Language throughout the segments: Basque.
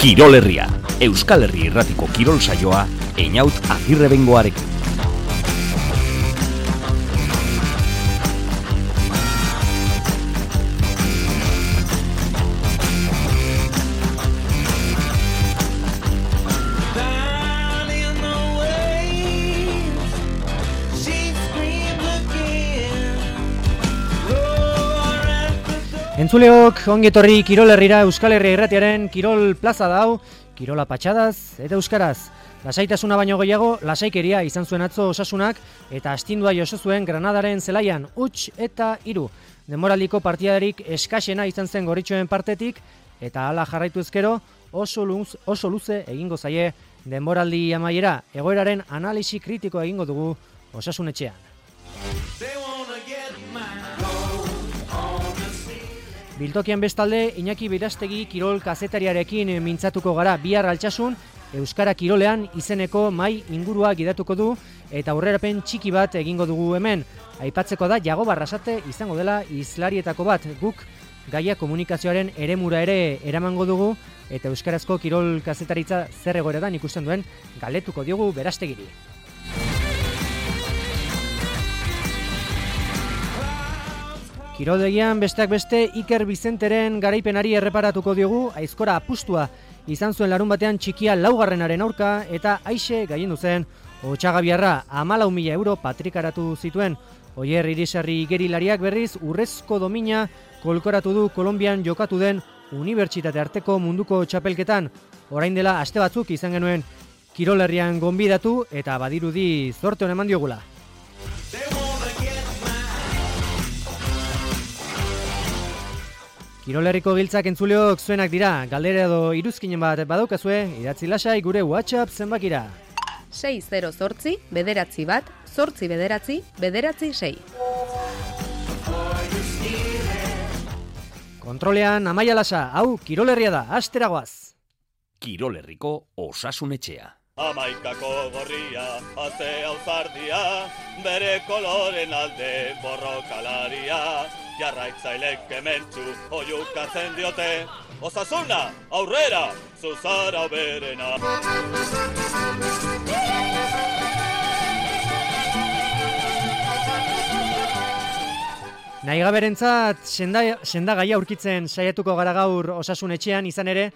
Kirol Herria, Euskal Herri Irratiko kirol saioa, Einaut Agirrebengoarekin. Entzuleok, ongi etorri Kirol Herrira, Euskal Herria Irratiaren Kirol Plaza da hau, Kirola patxadaz eta euskaraz. Lasaitasuna baino gehiago, lasaikeria izan zuen atzo Osasunak eta astindua jaso zuen Granadaren zelaian, 1-3. Denboraldiko partidarik eskasena izan zen gorritxoen partetik eta hala jarraitu ezkero oso luze egingo zaie denboraldi amaiera. Egoeraren analisi kritiko egingo dugu Osasun etxean. Biltokian bestalde, Iñaki Berastegi kirol kazetariarekin mintzatuko gara bihar Altsasun, Euskara Kirolean izeneko mai ingurua gidatuko du eta aurrerapen txiki bat egingo dugu hemen. Aipatzeko da Jago Barrasate izango dela hizlarietako bat, guk gaia komunikazioaren eremura ere eramango dugu eta euskarazko kirol kazetaritza zer egoeretan ikusten duen galdetuko diogu Berastegiri. Kiroldegian besteak beste Iker Bizenteren garaipenari erreparatuko diogu, aizkora apustua izan zuen larun batean txikia 4. aurka eta aixe gaiendu zen Otsagabiarra 14.000 euro patrikaratu zituen. Oier Irisarri igerilariak berriz urrezko domina kolkoratu du Kolonbian jokatu den unibertsitate arteko munduko txapelketan. Orain dela aste batzuk izan genuen Kirol Herrian gonbidatu eta badirudi zorte hon eman diogula. Kirol Herriko giltzak entzuleok zuenak dira, galdera edo iruzkinen bat badaukazue, idatzi lasai gure WhatsApp zenbakira. 608 bederatzi bat, 8 bederatzi, bederatzi 6. Kontrolean Amaia Lasa, hau Kirol Herria da, asteragoaz. Kirol Herriko Osasun etxea. Amaikako gorria, atzea uzardia, bere koloren alde borrokalaria, jarraitzailek kementsu oiukatzen diote, Osasuna, aurrera, zuzara berena. Nahigaberentzat sendagaia aurkitzen saiatuko gara gaur Osasun etxean, izan ere,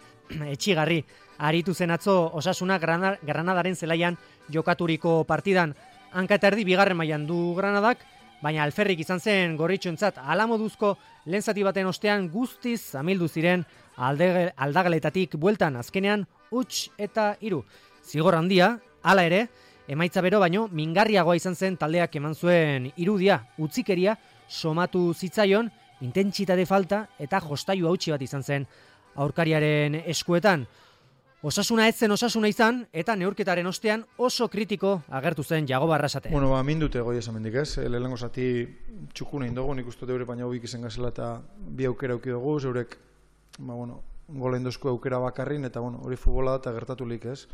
etxigarri. Aritu zen atzo Osasuna Granadaren zelaian jokaturiko partidan. Hanka eta erdi bigarren mailan du Granadak, baina alferrik izan zen gorritxoentzat alamoduzko lehen zati baten ostean guztiz amildu ziren aldageletatik bueltan azkenean 1-3. Zigor handia, hala ere, emaitza bero baino mingarriagoa izan zen taldeak eman zuen irudia, utzikeria somatu zitzaion, intentsitate falta eta jostailu hautsi bat izan zen aurkariaren eskuetan. Osasuna ez zen Osasuna izan, eta neurketaren ostean oso kritiko agertu zen Jago Barrasate. Bueno, mindute goi esan mendik ez, lehenengo zati txukuna indogu, nik uste deure baina hobik izan gazela eta bi aukera auki dugu, zeurek, golen dozko aukera bakarrin, eta hori futbola da eta gertatu lik ez.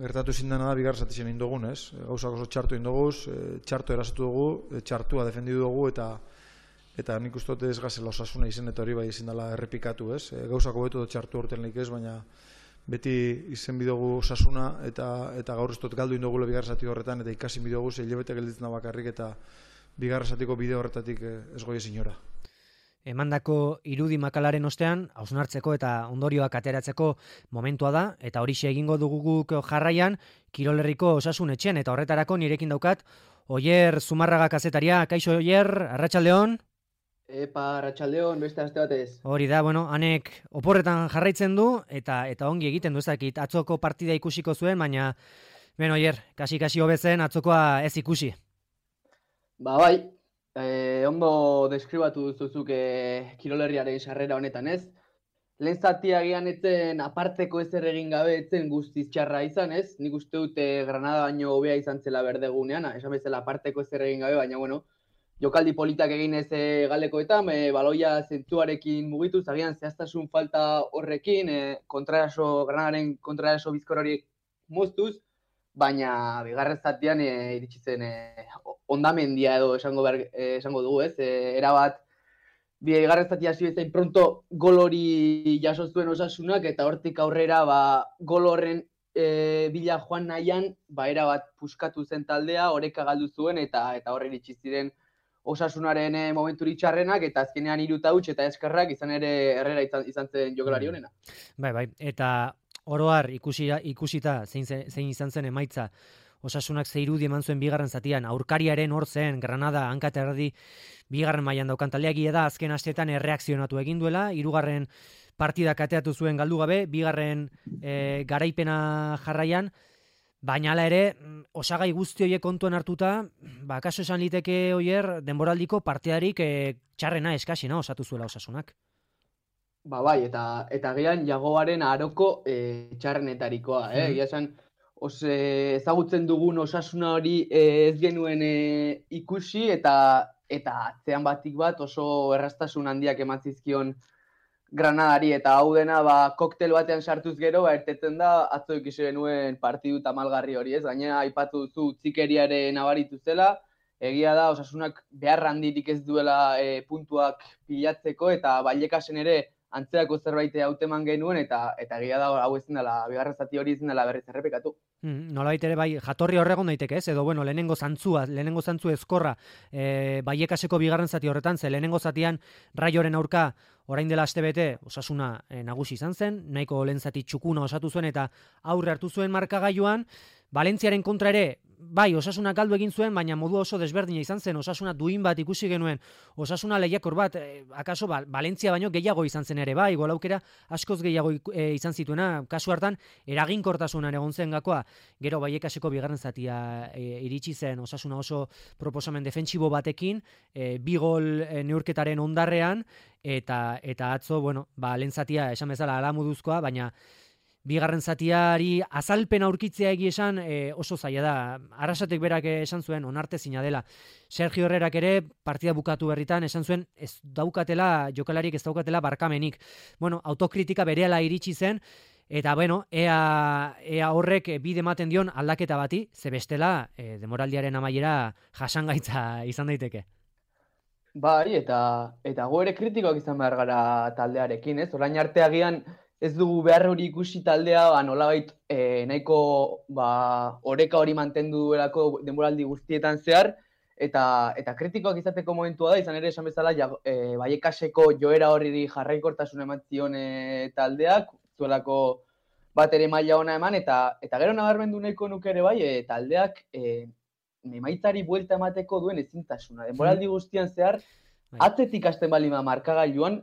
Gertatu zindana da bigar zati zen indogun ez, gauzak oso txartu indoguz, txartu erasatu dugu, txartua defendidu dugu, eta nik uste ez gazela Osasuna izen eta hori bai izin dela errepikatu ez. Gauzak hobetu da txartu horten lik ez, baina beti izen bidogu Osasuna eta gaur ez dut galdu indogula bigarrezati horretan eta ikasi bidogu hilabete gelditzen da bakarrik eta bigarrezatiko bide horretatik ez goi ezin ora. Emandako irudi makalaren ostean, hausnartzeko eta ondorioak ateratzeko momentua da, eta horixe egingo dugu guk jarraian Kirol Herriko Osasun etxean, eta horretarako nirekin daukat Oier Zumarraga kazetaria. Kaixo Oier, arratsaldeon. Epa, arratsaldeon, beste aste batez. Hori da, hanek oporretan jarraitzen du eta ongi egiten du ezakit. Atzoko partida ikusiko zuen, baina Oier, kasi hobezen atzokoa ez ikusi. Bai, ondo deskribatu duzuzuk Kirol Herriaren sarrera honetan ez. Lehen zatia gian etzen aparteko ezer egin gabe etzen guztiz txarra izan ez. Nik uste dute Granada baino hobea izan zela berdegunean, esan bezala aparteko ezer egin gabe, baina jokaldi politak egin ez galekoetan, baloia zentzuarekin mugituz, agian zehaztasun falta horrekin, Granadaren kontraraso bizkor horiek moztuz, baina bigarren zatian iritsi zen ondamendia edo esango dugu ez, erabat bigarren zati hasi bezain pronto gol hori jaso zuen Osasunak, eta hortik aurrera gol horren bila joan nahian, erabat puskatu zen taldea, oreka galdu zuen, eta horre iritsi ziren Osasunaren momenturik txarrenak, eta azkenean 3 huts eta eskerrak izan ere Herrera izan zen jokalari honena. Bai, eta oroar ikusita zein izan zen emaitza, Osasunak ze irudi eman zuen bigarren zatian, aurkariaren hor zen, Granada hanka eta erdi bigarren mailan daukan taldeak da azken asteetan erreakzionatu egin duela, 3. partida kateatu zuen galdu gabe, bigarren garaipena jarraian, baina hala ere, osagai guzti horiek kontuan hartuta, kaso esan liteke Oier, denboraldiko partidarik txarrena eskasina osatu zuela Osasunak. Bai, eta gian Jagoaren aroko txarrenetarikoa, egia esan, ezagutzen dugun Osasuna hori ez genuen ikusi, eta atzean batik bat oso erraztasun handiak emantzizkion Granadari, eta hau dena koktel batean sartuz gero, erteten da atzo ikusi genuen partidu tamalgarri hori, ez? Gainera aipatu duzu utzikeriaren nabaritu zela, egia da Osasunak behar handirik ez duela puntuak pilatzeko, eta Vallecasen ere antzerako zerbait hauteman genuen, eta egia da hau ezin dela, bigarren zati hori ezin dela berriz errepikatu. Nolabait ere jatorri horregon daiteke, ez? Edo lehenengo zantzu ezkorra Vallecaseko bigarren zati horretan, ze lehenengo zatian Raioren aurka orain dela astebete Osasuna nagusi izan zen, nahiko lehen zati txukuna osatu zuen eta aurre hartu zuen markagailuan, Valentziaren kontra ere, Osasuna galdu egin zuen, baina modu oso desberdina izan zen, Osasuna duin bat ikusi genuen, Osasuna lehiakor bat, akaso Valentzia baino gehiago izan zen ere, gol aukera askoz gehiago izan zituena, kasu hartan eraginkortasunan egon zen gakoa, gero Vallecaseko bigarren zatia iritsi zen, Osasuna oso proposamen defentsibo batekin, 2 gol neurketaren ondarrean, eta atzo, lehen zatia esan bezala alamuduzkoa, baina bigarren zatiari azalpen aurkitzea egi esan oso zaila da. Arrasatek berak esan zuen onartezina dela. Sergio Herrerak ere partida bukatu berritan esan zuen jokalariek ez daukatela barkamenik. Autokritika berehala iritsi zen, eta ea horrek bide ematen dion aldaketa bati, ze bestela demoraldiaren amaiera jasangaitza izan daiteke. Bai, eta gu ere kritikoak izan behar gara taldearekin, ez? Orain arte agian ez dugu behar hori ikusi taldea, nolabait nahiko oreka hori mantendu duelako denboraldi guztietan zehar, eta kritikoak izateko momentua da, izan ere esan bezala Vallecaseko joera hori jarraikortasun eman zion taldeak, zuelako bat ere maila ona eman, eta gero nabarmendu nahiko nuke ere taldeak emaitzari buelta emateko duen ezintasuna. Denboraldi guztian zehar, atzetik hasten balima markagailuan,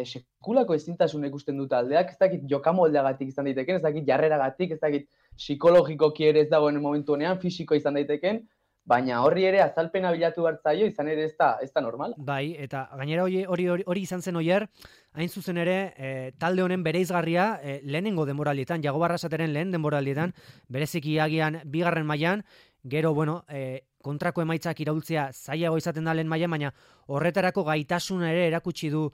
sekulako ezintasun ikusten du taldeak, ez dakit jokamoldeagatik izan daiteken, ez dakit jarreragatik, ez dakit psikologikoki ere ez dagoen momentu honean, fisiko izan daiteken, baina horri ere azalpena bilatu hartzaio, izan ere ez da normal. Bai, eta gainera hori izan zen Oier, hain zuzen ere, talde honen bereizgarria lehenengo denboraldietan, Jago Barrasateren lehen denboraldietan, bereziki agian bigarren mailan, gero, kontrako emaitzak iraultzea zailago izaten da lehen mailan, baina horretarako gaitasuna ere erakutsi du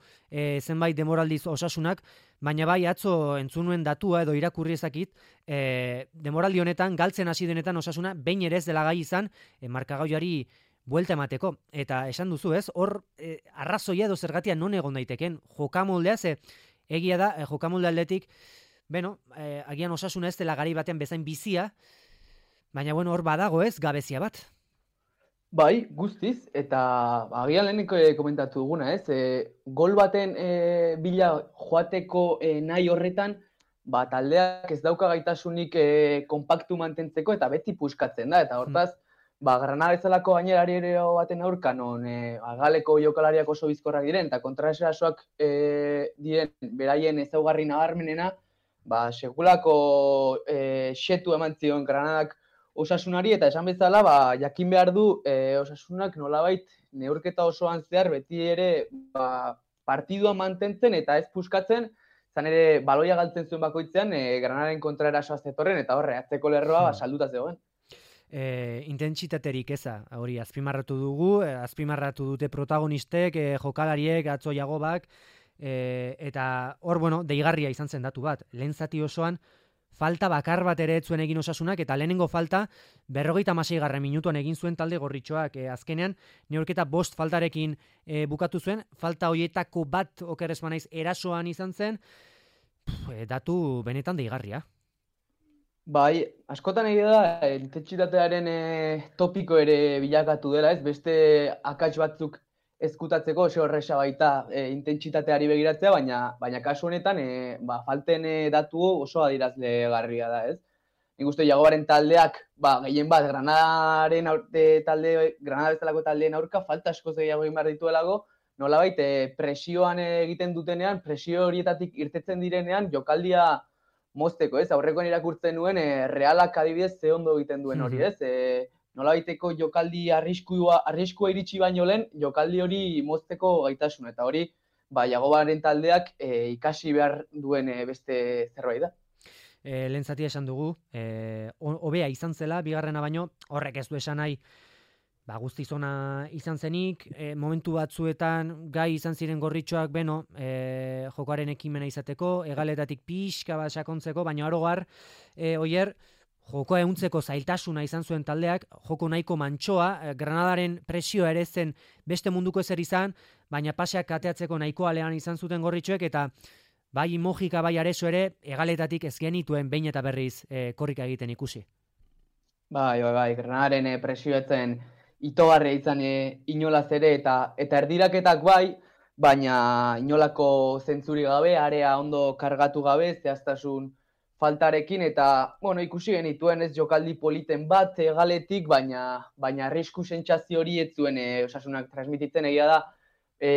zenbait denboraldiz Osasunak, baina atzo entzunuen datua edo irakurri ezakit, denboraldi honetan, galtzen hasi denetan Osasuna, behin ere ez dela gai izan, markagailuari buelta emateko. Eta esan duzu, ez? Hor, arrazoia edo zergatia non egon daiteken, jokamoldea, ze egia da, jokamolde aldetik, agian Osasuna ez dela gari batean bezain bizia, baina hor badago ez, gabezia bat. Bai, guztiz, eta agian leheneko komentatu duguna, ez? Gol baten bila joateko nahi horretan, taldeak ez dauka gaitasunik konpaktu mantentzeko eta beti puskatzen da, eta hortaz, Granada bezalako gainerari ere baten aurka, non galeko jokalariak oso bizkorrak diren, eta kontraerasoak diren beraien ezaugarri nabarmenena, segulako xetu eman zion Granadak Osasunari, eta esan bezala, jakin behar du Osasunak nolabait neurketa osoan zehar beti ere partidua mantentzen eta ez puskatzen, zan ere baloia galtzen zuen bakoitzean Granadaren kontraerasoa zetorren, eta horre, atzeko lerroa salduta zegoen. Intentsitaterik eza, hori azpimarratu dugu, azpimarratu dute protagonistek, jokalariek, atzo Jagobak, eta hor, deigarria izan zen datu bat, lehen zati osoan, falta bakar bat ere ez zuen egin Osasunak, eta lehenengo falta 56. minutuan egin zuen talde gorritxoak. Azkenean, neurketa 5 faltarekin bukatu zuen, falta hoietako bat okerrez banaiz erasoan izan zen, datu benetan deigarria. Bai, askotan egia da, intentsitatearen topiko ere bilakatu dela, ez? Beste akats batzuk ezkutatzeko oso horresa baita intentsitateari begiratzea, baina kasu honetan falten datu oso adierazlegarria da, ez? Nik uste Jagobaren taldeak, gehien bat, Granada bezalako taldeen aurka falta askoz gehiago egin behar dituelako, nolabait presioan egiten dutenean, presio horietatik irtetzen direnean, jokaldia mozteko, ez? Aurrekoan irakurtzen nuen, Realak adibidez ze ondo egiten duen hori, ez? Nolabaiteko jokaldi arriskua iritsi baino lehen, jokaldi hori mozteko gaitasun, eta hori, Jagobaren taldeak ikasi behar duen beste zerbait da. Lehen zatia esan dugu, hobea izan zela, bigarrena baino, horrek ez du esan nahi, guztiz ona izan zenik, momentu batzuetan gai izan ziren gorritxoak jokoaren ekimena izateko, egaletatik pixka bat sakontzeko, baina orogar, oier, jokoa ehuntzeko zailtasuna izan zuen taldeak, joko nahiko mantsoa, Granadaren presioa ere zen beste munduko ezer izan, baina paseak kateatzeko nahiko alean izan zuten gorritxoek, eta bai Mojika bai Areso ere, egaletatik ez genituen behin eta berriz korrika egiten ikusi. Bai, Granadaren presioetzen itogarria izan inolaz ere, eta erdiraketak bai, baina inolako zentzuri gabe, area ondo kargatu gabe, zehaztasun faltarekin, eta, ikusi genituen ez jokaldi politen bat galetik, baina arrisku sentsazio hori ez zuen Osasunak transmititzen, egia da,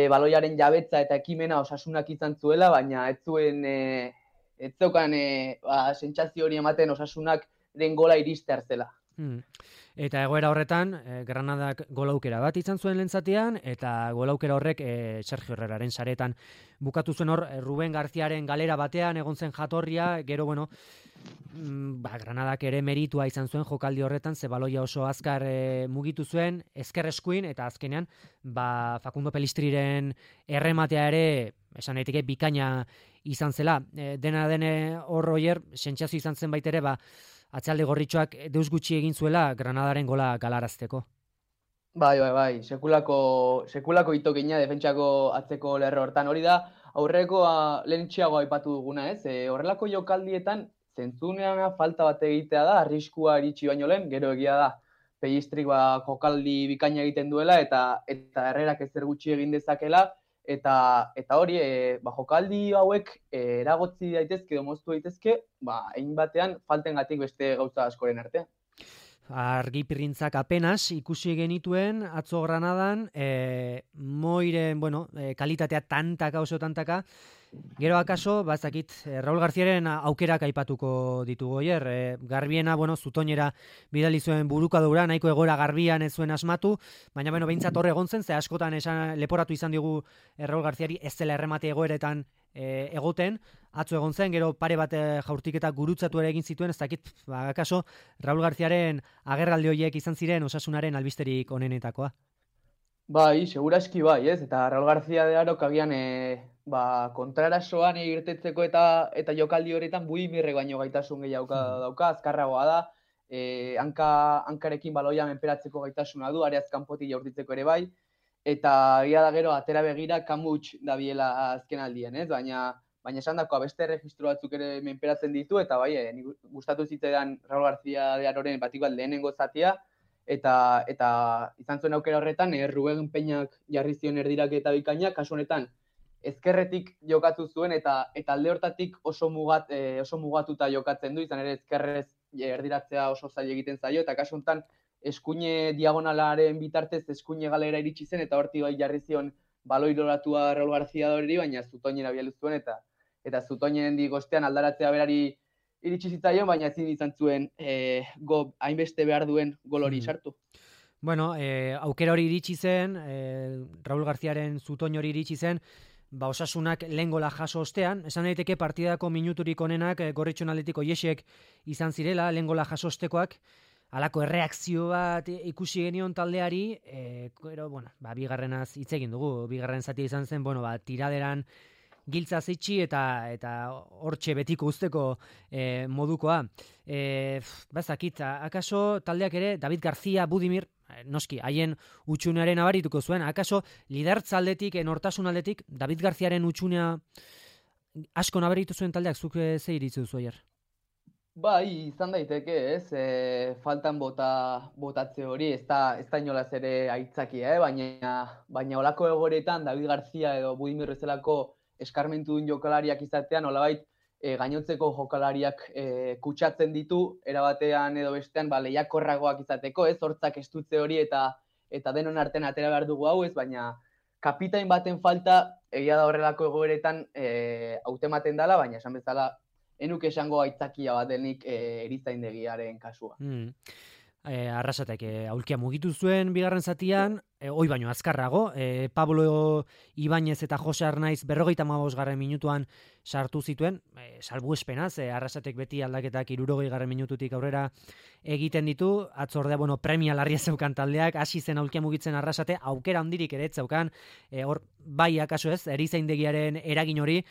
baloiaren jabetza eta ekimena Osasunak izan zuela, baina ez zeukan sentsazio hori ematen Osasunak den gola iristear zela. Eta egoera horretan, Granadak golaukera bat izan zuen lehentzatean, eta golaukera horrek Sergio Herreraren saretan bukatu zuen hor, Ruben Garziaren galera batean egon zen jatorria, gero, Granadak ere meritua izan zuen jokaldi horretan, ze baloia oso azkar mugitu zuen, ezker eskuin, eta azkenean, Facundo Pelistriren errematea ere, esan daiteke bikaina izan zela. Dena dene hor oier, sentsazio izan zen baitere, atzealde gorritxoak deus gutxi egin zuela Granadaren gola galarazteko. Bai, sekulako itokina defentsako atzeko lerro hortan. Hori da, aurreko lehentxeago aipatu duguna, ez? Horrelako jokaldietan, zentzunean falta bat egitea da, arriskua iritsi baino lehen, gero egia da, Pellistrik jokaldi bikaina egiten duela, eta Herrerak ezer gutxi egin dezakela, eta hori, jokaldi hauek eragotzi daitezke, moztu daitezke, egin batean faltengatik beste gauza askoren artean. Argipirrintzak apenas ikusi genituen atzo Granadan, moiren, kalitatea tantaka. Gero akaso, bazakit, Raúl Garziaren aukerak aipatuko ditugu oier. Garbiena, zutoinera bidali zuen burukadura, nahiko egoera garbian ez zuen asmatu, baina behintzat horre egon zen, ze askotan leporatu izan digu Raúl Garziari ez zela erremate egoeretan egoten, atzo egon zen, gero pare bat jaurtiketak gurutzatu ere egin zituen, ez dakit, akaso, Raúl Garziaren agerraldi horiek izan ziren Osasunaren albisterik onenetakoa. Bai, seguraski bai, ez? Eta Raúl García de Arok agian kontrarasoan irtetzeko eta jokaldi horretan buimirre baino gaitasun gehiago dauka, azkarragoa da, hankarekin baloia menperatzeko gaitasuna du, areaz kanpotik jaurtitzeko ere bai, eta egia da gero atera begira kamuts dabiela azken aldien, ez? Baina esan dakoa beste registro batzuk ere menperatzen ditu, eta bai, gustatu zitzaidan Raúl García de Aroren batik bat lehenengo zatia, eta izan zuen aukera horretan, Ruben Peñak jarri zion erdiraketa bikaina, kasu honetan, ezkerretik jokatu zuen, eta alde hortatik oso mugatuta jokatzen du, izan ere ezkerrez erdiratzea oso zaila egiten zaio, eta kasu honetan, eskuine diagonalaren bitartez, eskuine galera iritsi zen, eta horti bai jarri zion baloi loratua Raúl García hori, baina zutoinera bialu zuen, eta zutoinen digostean aldaratzea berari iritsi zitzaion, baina ezin izan zuen hainbeste behar duen gol hori sartu. Aukera hori iritsi zen, Raúl Garziaren zutoin hori iritsi zen, Osasunak lehen gola jaso ostean, esan daiteke partidako minuturik onenak Gorritxon Atletiko Iesek izan zirela, lehen gola jaso ostekoak, halako erreakzio bat ikusi genion taldeari, bigarrenaz hitz egin dugu, bigarren zatia izan zen, tiraderan giltza zitxi eta hortxe betiko usteko modukoa. Bazakit, akaso taldeak ere David García, Budimir, noski, haien utxunearen abarituko zuen, akaso lidertza aldetik, nortasun aldetik, David Garziaren utxunea asko nabaritu zuen taldeak, zuk ze iritzi duzu aier? Bai, izan daiteke, ez? Faltan botatze hori, ez da inolaz ere aitzakia, baina olako egoretan David García edo Budimir bezalako eskarmentu duen jokalariak izatean, nolabait gainotzeko jokalariak kutsatzen ditu, erabatean edo bestean lehiakorragoak izateko, ez? Hortzak estutze hori eta denon artean atera behar dugu hau, ez? Baina kapitain baten falta, egia da horrelako egoeretan hautematen dela, baina esan bezala, enuk esango aitzakia bat denik erizaindegiaren kasua. Arrasatek aulkia mugitu zuen bigarren zatian, hoi baino azkarrago, Pablo Ibáñez eta Jose Arnaiz 55. minutuan sartu zituen, salbuespenaz, Arrasatek beti aldaketak 60. minututik aurrera egiten ditu, atzordea, premia larria zeukan taldeak, hasi zen aulkia mugitzen Arrasate, aukera handirik ere zeukan, hor bai akaso ez, erizaindegiaren eragin hori,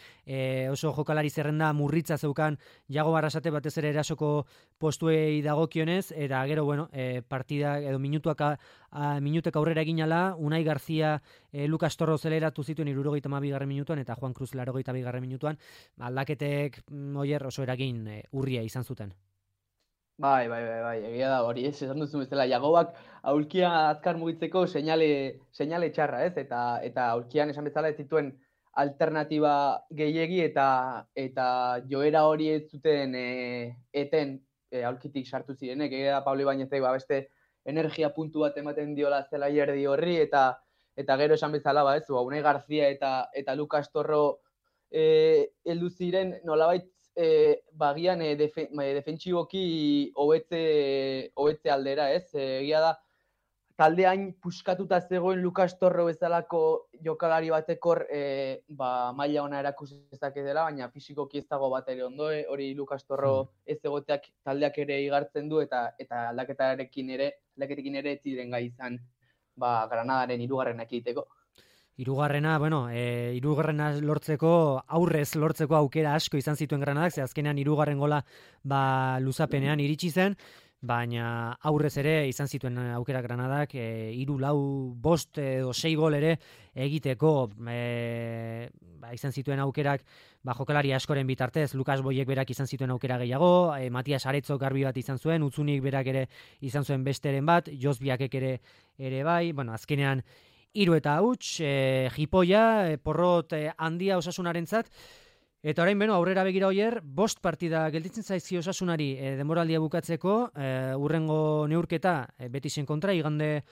oso jokalari zerrenda murritza zeukan Jago Arrasate batez ere erasoko postuei dagokionez, eta gero, partida edo minutek aurrera egin ala, Unai Garzia, Lucas Torro zeleratu zituen 72. minutuan, eta Juan Cruz 82. minutuan, aldaketek oso eragin urria izan zuten. Bai, egia da hori, esan duzu bezala, Jagobak aulkia azkar mugitzeko seinale txarra, ez? Eta aulkian esan bezala ez zituen alternatiba gehiegi eta joera hori ez zuten eten aulkitik sartu zirenek, egia da Pablo Ibáñezek beste energia puntu bat ematen diola zela erdi horri eta gero esan bezala, Unai Garzia eta Lucas Torro heldu ziren nolabait bagian defentsiboki hobetze aldera, ez? Egia da, taldeain puskatuta zegoen Lucas Torro bezalako jokalari batekor maila ona erakusi dezake dela, baina fisikoki ez dago bat ere ondo, hori Lucas Torro ez egoteak taldeak ere igartzen du eta aldaketarekin ere ez ziren gai izan Granadaren 3. egiteko. Hirugarrena, hirugarrena aurrez lortzeko aukera asko izan zituen Granadak, ze azkenean 3. gola luzapenean iritsi zen, baina aurrez ere izan zituen aukera Granadak, 3, 4, 5 edo 6 gol ere egiteko izan zituen aukerak jokalari askoren bitartez, Lukas Boiek berak izan zituen aukera gehiago, Matias Aretzo garbi bat izan zuen, Utzunik berak ere izan zuen besteren bat, Jos Biakek ere bai, azkenean 3 eta huts, jipoia, porrot handia Osasunarentzat, eta orain aurrera begira hoier, 5 partida gelditzen zaizki Osasunari denboraldia bukatzeko, hurrengo neurketa Betisen kontra igande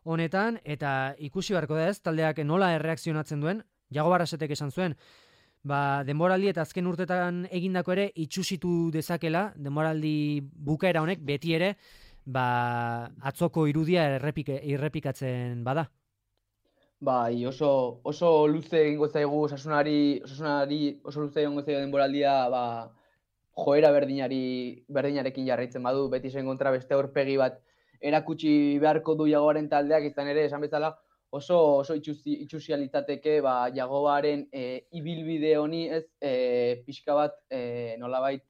honetan, eta ikusi beharko da ez, taldeak nola erreakzionatzen duen, Jago Arrasatek esan zuen, denboraldi eta azken urtetan egindako ere itxusitu dezakela, denboraldi bukaera honek beti ere, atzoko irudia errepikatzen bada. Bai, oso luze egingo zaigu Osasunari oso luze egingo zaigu denboraldia, joera berdinarekin jarraitzen badu, Betisen kontra beste aurpegi bat erakutsi beharko du Jagoaren taldeak, izan ere, esan bezala, oso itxusia litzateke Jagoaren ibilbide honi, ez, pixka bat nolabait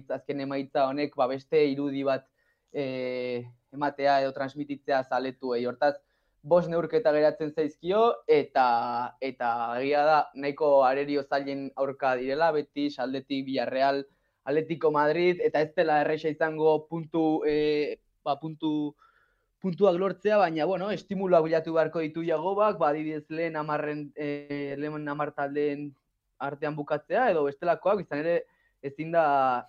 azken emaitza honek beste irudi bat ematea edo transmititzea zaletuei, hortaz, 5 neurketa geratzen zaizkio, eta egia da, nahiko arerio zailen aurka direla, Betis, aldetik Villarreal, Atletico Madrid, eta ez dela erresa izango puntuak lortzea, baina, estimuluak bilatu beharko ditu Jagobak, adibidez lehen 10 taldeen artean bukatzea, edo bestelakoak, izan ere, ezin da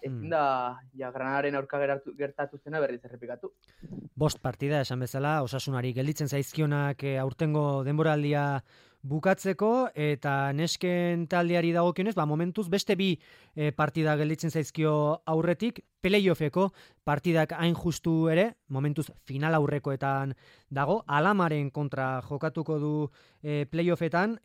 Granadaren aurka gertatu zena berriz errepikatu. 5 partida esan bezala, Osasunari gelditzen zaizkionak aurtengo denboraldia bukatzeko, eta nesken taldeari dagokionez, momentuz beste 2 partida gelditzen zaizkio aurretik, playoffeko partidak hain justu ere, momentuz final aurrekoetan dago, Alamaren kontra jokatuko du playoffetan,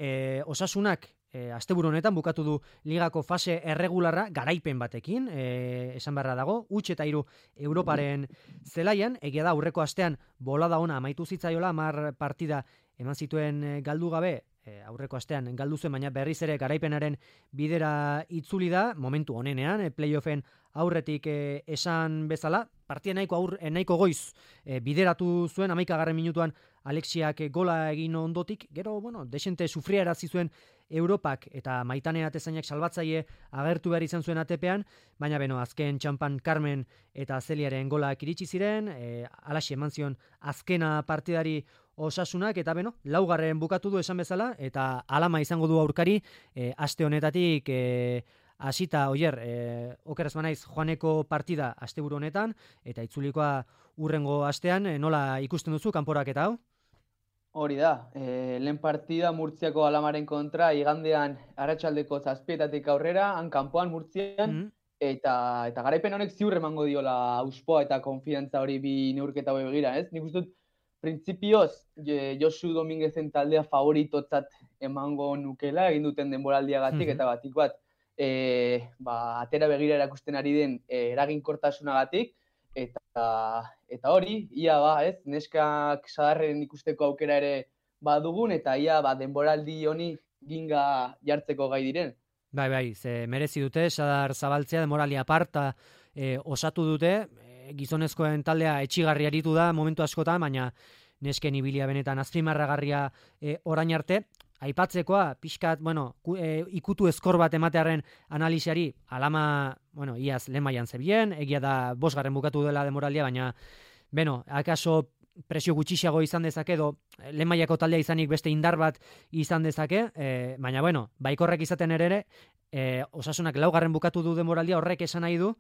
Osasunak asteburu honetan bukatu du ligako fase erregularra garaipen batekin, esan beharra dago, 3 eta 3 Europaren zelaian, egia da aurreko astean bolada ona amaitu zitzaiola, 10 partida eman zituen galdu gabe aurreko astean galdu zuen, baina berriz ere garaipenaren bidera itzuli da, momentu honenean, playoffen aurretik esan bezala, partia nahiko goiz bideratu zuen, 11. minutuan Alexiak gola egin ondotik, gero, desente sufriarazi zuen Europak eta Maitane Atezainak salbatzaile agertu behar izan zuen ATP-an, baina azken txampan Carmen eta Zeliaren golak iritsi ziren, alaxe eman zion azkena partidari Osasunak, eta laugarren bukatu du esan bezala, eta alama izango du aurkari, aste honetatik hasita okeraz banaiz joaneko partida asteburu honetan, eta itzulikoa urrengo astean, nola ikusten duzu kanporaketa hau? Hori da, lehen partida Murtziako Alamaren kontra, igandean arratsaldeko 7:00 aurrera, han kanpoan Murtzian, eta garaipen honek ziur emango diola auspoa eta konfidantza hori bi neurketa hori begira, ez? Nik uste dut, printzipioz, Josu Dominguezen taldea favoritotzat emango nukela, egin duten denboraldiagatik, eta batik bat, atera begira erakusten ari den eraginkortasunagatik, eta hori, ia ez, neskak sadarren ikusteko aukera ere badugun, eta ia denboraldi honi ginga jartzeko gai diren. Bai, ze merezi dute, Sadar zabaltzea denboraldi aparta osatu dute, gizonezkoen taldea etxigarri aritu da momentu askotan, baina nesken ibilia benetan azpimarragarria orain arte. Aipatzekoa, pixkat, ikutu eskor bat ematearen analisiari, alama, iaz lehen mailan zebien, egia da 5. bukatu dela denboraldia, baina, akaso presio gutxiago izan dezake, edo lehen mailako taldea izanik beste indar bat izan dezake, baina, baikorrek izaten ere, Osasunak 4. bukatu du denboraldia, horrek esan nahi du,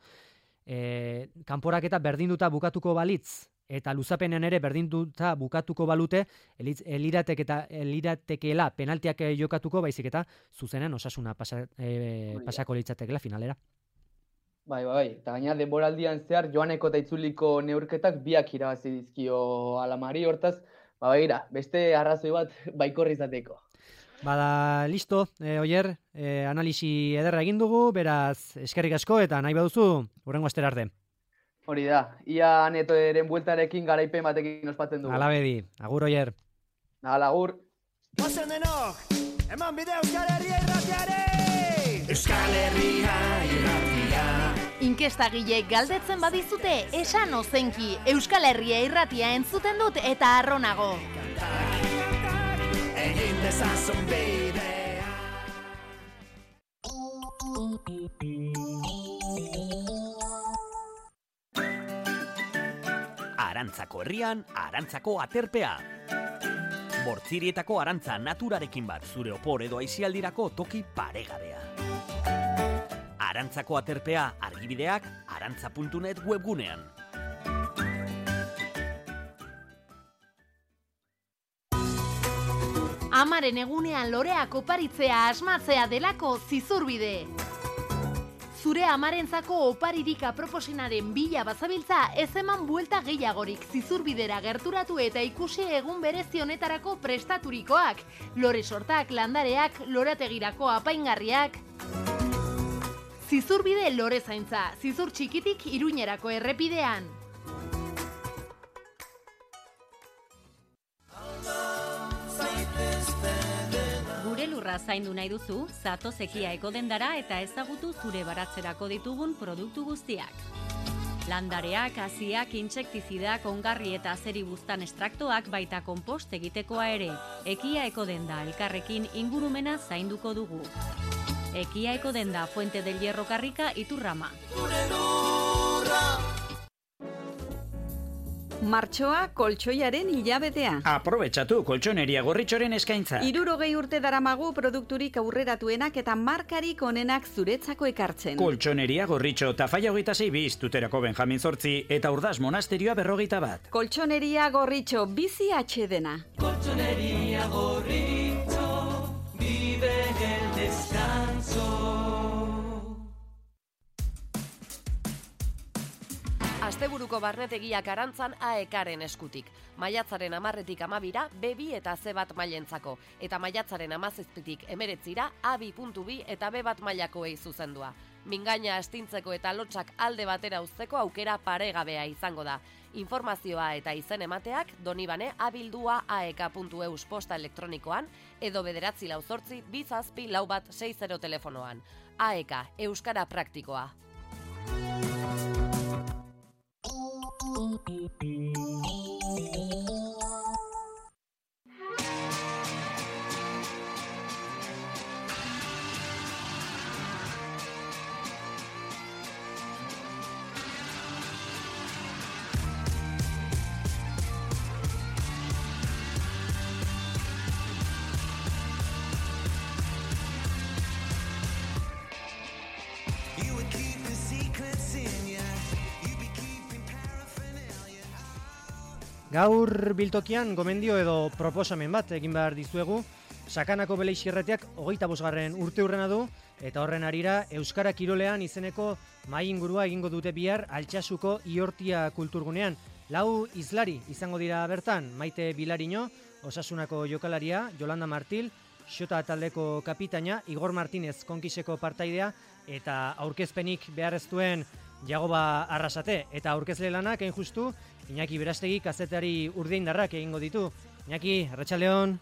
kanporaketa berdinduta bukatuko balitz, eta luzapenean ere berdinduta bukatuko balute, eliratekeela penaltiak jokatuko, baizik eta zuzenen Osasuna pasako litzatekeela finalera. Bai, eta gaina denboraldian zehar joaneko eta itzuliko neurketak biak irabazi dizkio Alamari, hortaz, beste arrazoi bat baikorri izateko. Listo, Oier, analisi ederra egin dugu, beraz, eskerrik asko, eta nahi baduzu, hurrengo astera arte. Hori da, ia Netoren bueltarekin garaipen batekin ospatzen dugu. Alabedi, agur Oier. Agur. Ozen denok, eman bide Euskal Herria irratiare! Euskal Herria irratia. Inkestagilek galdetzen badizute, esan ozenki, Euskal Herria irratia entzuten dut eta arronago. Egin dezazun bidea. Arantzako herrian, Arantzako aterpea. Bortzirietako arantza naturarekin bat zure opor edo aisialdirako toki paregabea. Arantzako aterpea argibideak arantza.net webgunean. Amaren egunean loreak oparitzea asmatzea delako zizurbide. Zure amarentzako oparirik aproposenaren bila bazabiltza, ez eman buelta gehiagorik zizurbidera gerturatu eta ikusi egun berezi honetarako prestaturikoak, lore sortak, landareak, lorategirako apaingarriak. Zizurbide lore zaintza, zizur txikitik Iruñerako errepidean. Gure lurra zaindu nahi duzu, zatoz Ekia Ekodendara eta ezagutu zure baratzerako ditugun produktu guztiak. Landareak, haziak, intsektizidak, ongarri eta azeribuztan estraktoak baita konpost egitekoa ere. Ekia Ekodenda elkarrekin ingurumena zainduko dugu. Ekia Ekodenda, Fuente del Hierro Karrika, Iturrama. Martxoa koltsoiaren hilabetea. Aprobetxatu koltsoneria Gorritxoren eskaintza. 60 urte daramagu produkturik aurreratuenak eta markarik onenak zuretzako ekartzen. Koltsoneria Gorritxo, Tafaia 26 biz, Tuterako Benjamin 8 eta Urdaz Monasterioa 51. Koltsoneria Gorritxo, bizi atxedena. Koltsoneria Gorritxo, vive el descanso. Asteburuko barnetegiak Arantzan AEKaren eskutik. Maiatzaren 10-tik 12ra B2 eta C1 mailentzako. Eta maiatzaren 17-tik 19ra A2.2 eta B1 mailakoei zuzendua. Mingaina astintzeko eta lotsak alde batera uzteko aukera paregabea izango da. Informazioa eta izen emateak donibane@aek.eus posta elektronikoan edo 948 2 lau bat 60 telefonoan. AEK, Euskara Praktikoa. Gaur biltokian gomendio edo proposamen bat egin behar dizuegu. Sakanako Beleixirretiak 25. urteurrena du eta horren arira Euskara Kirolean izeneko mahai ingurua egingo dute bihar Altsasuko Iortia kulturgunean. 4 hizlari izango dira bertan, Maite Bilariño, Osasunako jokalaria, Yolanda Martil, Xota taldeko kapitaina, Igor Martínez konkiseko partaidea eta aurkezpenik behar ez duen Jagoba Arrasate eta aurkezle lanak hain justu Iñaki Berastegi kazetari urdeindarrak egingo ditu. Iñaki, arratsaldeon.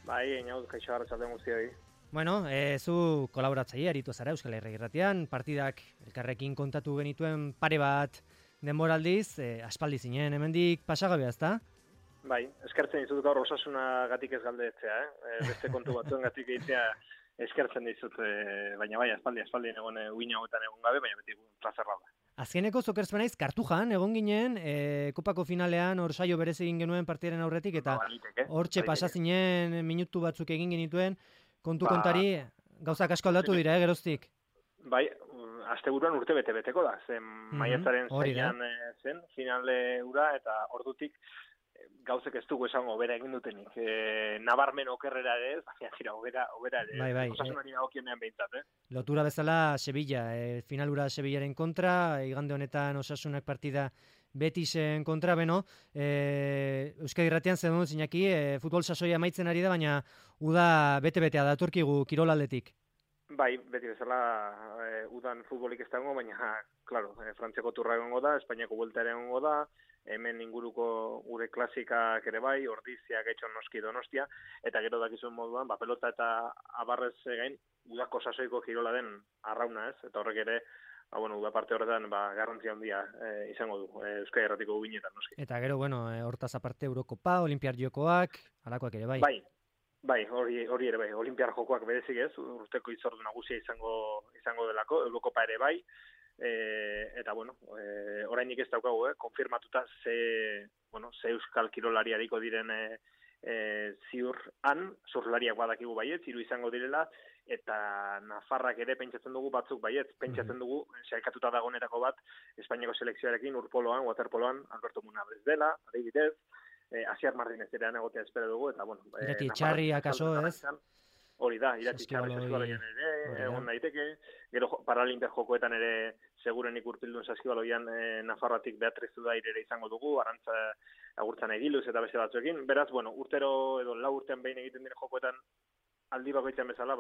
Bai, Inaut, kaixo arratsaldeon guztioi. Bueno, zu kolaboratzaile aritu zara Euskal Herria Irratian, partidak elkarrekin kontatu genituen pare bat denboraldiz, aspaldi zinen hemendik pasagabea, ezta? Bai, eskertzen dizut gaur Osasunagatik ez galdetzea, beste kontu batzuengatik egitea eskertzen dizut, baina bai, aspaldi egon uina hauetan egon gabe, baina beti plazerra da. Azkeneko zokerzpenaiz Kartujan egon ginen, kopako finalean hor saio berez egin genuen partiaren aurretik eta hortxe pasazinen minutu batzuk egin genituen, kontari gauzak asko aldatu dira, geroztik. Bai, asteburuan urte bete-beteko da, zen maiatzaren zeinan zen finale ura eta ordutik gauzek ez dugu esango obera egin dutenik. Nabarmen okerrera ere ez, baina obera ere. Bai. Osasunari dagokienean behintzat, Lotura bezala Sevilla, finalura Sevillaren kontra, igande honetan Osasunak partida Betisen kontra, beno, Euskadi Irratian zen dut zinaki, futbol sasoia amaitzen ari da, baina uda bete-betea datorkigu kirolaldetik. Bai, beti bezala udan futbolik ez dago, baina, claro, Frantziako turra egongo da, Espainiako buelta ere egongo da, hemen inguruko gure klasikak ere bai, Ordizia, Getxo, Noski, Donostia, eta gero dakizuen moduan, pelota eta abarrez gain, udako sasoiko kirola den arrauna ez, eta horrek ere, uda parte horretan garrantzia handia izango du, Euskadi Irratiko ubinetan noski. Eta gero, hortaz aparte Eurokopa, Olimpiar Jokoak, alakoak ere bai. Bai, hori ere bai, Olimpiar Jokoak berezik ez, urteko hitzordu nagusia izango delako, Eurokopa ere bai, eta orainik ez daukagu, konfirmatuta ze euskal kirolariariko diren ziurran, zurlariak badakigu baiet, 3 izango direla, eta Nafarrak ere pentsatzen dugu batzuk baiet, pentsatzen dugu, sailkatuta dagoenetako bat, Espainiako selekzioarekin, urpoloan, waterpoloan, Alberto Munabez dela, adibidez, Asier Martínez erean egotea espero dugu, eta Irati txarri akaso, ez? Hori da, irati txarri saskibaloian ere, egon daiteke, gero Paralimpiar Jokoetan ere segurenik urpildun saskibaloian Nafarroatik Beatriz Udaire ere izango dugu, Arantza Agurtzan Egiluz eta beste batzuekin, beraz, urtero edo 4 urtean behin egiten dire Jokoetan aldi bakoitzean bezala,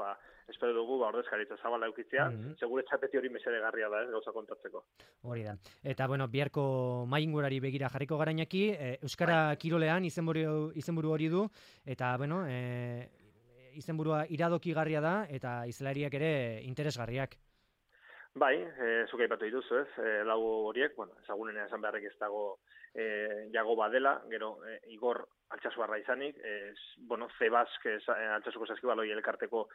espero dugu ordezkaritza zabala eukitzea, segure txapeti hori mesedegarria da, gauza kontatzeko. Hori da. Eta, biharko maingurari begira jarriko garainaki, Euskara Kirolean izenburu hori du, eta, izenburua iradokigarria da, eta izlariak ere interesgarriak. Bai, zuk aipatu dituzu ez, 4 horiek, ezagunen esan beharrek ez dago Jagoba dela, gero Igor Altsasuarra izanik, Zebask Altsasuko saskibaloi elkarteko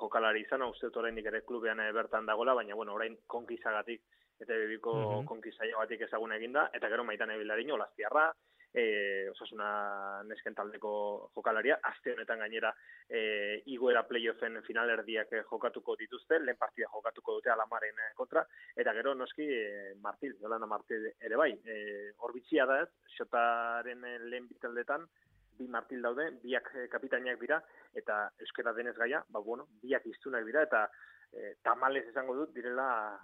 jokalari izan, uste dut oraindik ere klubean bertan dagoela, baina orain konkizagatik eta bebiko konkizaiogatik ezagun eginda, eta gero Maitane Bilariño, Olastiarra, Osasuna nesken taldeko jokalaria, aste honetan gainera igoera playoffen finalerdiak jokatuko dituzte, lehen partida jokatuko dute Alamaren kontra, eta gero noski Martil, Yolanda Martil ere bai, horbitxia da ez, Xotaren lehen bitaldetan, 2 Martil daude, biak kapitainak dira, eta euskera denez gaia, biak iztunak dira, eta tamalez esango dut, direla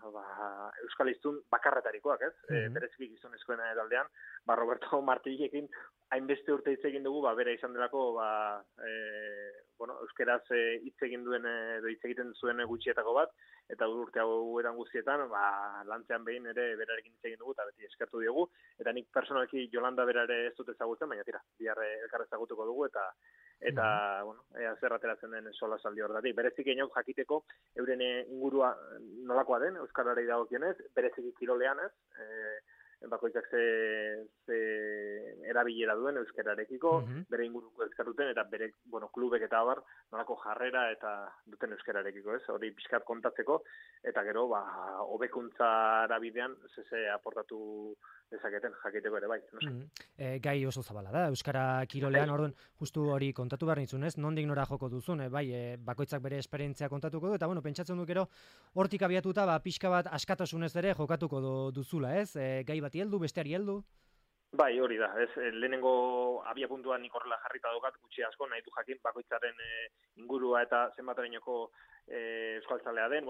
Euskal Hiztun bakarretarikoak, ez? Bereziki gizonezkoen taldean, Roberto Martillekin hainbeste urte hitz egin dugu, bera izan delako, euskeraz hitz egin duen, edo hitz egiten zuen gutxietako bat, eta urte hauetan guztietan, lantzean behin ere berarekin hitz egin dugu, eta beti eskertu diogu, eta nik personalki Jolanda bera ere ez dut ezagutzen, baina tira, bihar elkar ezagutuko dugu, eta zer ateratzen den sola saldi horretatik. Berezik inoak jakiteko, euren ingurua nolakoa den, euskarari dagokionez, berezik kirolean ez, bakoitzak ze erabilera duen euskararekiko, bere inguruko euskaruten, eta bere klubek eta abar, nolako jarrera eta duten euskararekiko, ez? Hori pixkat kontatzeko, eta gero, hobekuntzara bidean, ze aportatu dezaketen jakiteko ere bai. Gai oso zabala da, euskara kirolean, orduan, justu hori kontatu behar nintzun, ez? Nondik nora joko duzun, bakoitzak bere esperientzia kontatuko du, eta pentsatzen duk ero, hortik abiatuta, pixka bat askatasunez ere jokatuko duzula, ez? Gai bati heldu, besteari heldu? Bai, hori da, ez, lehenengo abia puntuan nik horrela jarrita daukat, gutxi asko, nahi du jakin bakoitzaren ingurua eta zenbaterainoko euskaltzalea den,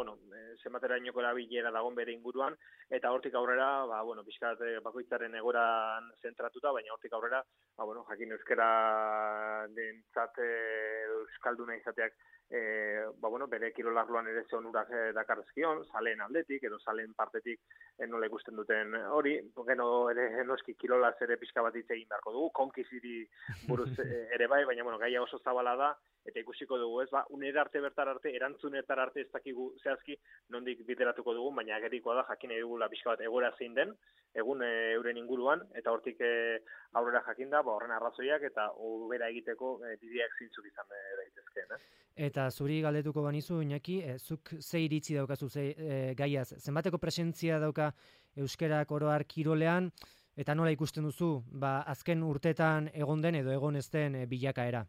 zenbaterainoko erabilera dagon bere inguruan, eta hortik aurrera, pixkat bakoitzaren egoran zentratuta, baina hortik aurrera, jakin euskara dentzat euskalduna izateak, bere kirolarloan ere zonurak dakarrezkion, zaleen aldetik, edo zaleen partetik nola ikusten duten hori, geno ere noski kirolaz ere pixka bat hitz egin beharko dugu, konkiziri buruz ere bai, baina gaia oso zabala da, eta ikusiko dugu, ez, unera arte bertar arte, erantzunetar arte ez dakigu zehazki nondik bideratuko dugu, baina agerikoa da jakin edugula pixka bat egora zein den, egun euren inguruan, eta hortik aurrera jakinda, horren arrazoiak, eta ubera egiteko bideak zintzuk izan daitezkeen. Eta zuri galdetuko banizu, Iñaki, zuk ze iritzi daukazu gaiaz, zenbateko presentzia dauka euskerak oroar kirolean, eta nola ikusten duzu, azken urtetan egon den edo egon ez den bilakaera?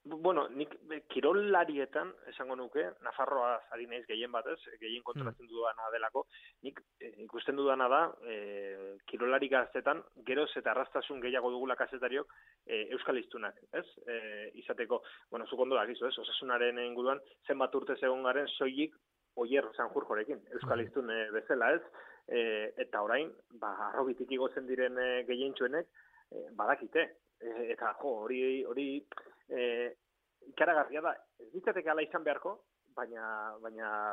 Nik kirolarietan, esango nuke, Nafarroa ari naiz gehien batez, gehien kontrolatzen dudana delako, nik ikusten dudana da, kirolari gaztetan, geroz eta arrastasun gehiago dugula kazetariok euskal hiztunak, ez? Izateko, zuk ondo dakizu, ez? Osasunaren inguruan, zenbat urte egon garen, soilik Oier Sanjurjorekin, euskal hiztun bezala, ez? Eta orain, arrobitik igotzen diren gehientsuenek, badakite. Eta hori ikaragarria da, ez ditzateke ala izan beharko, baina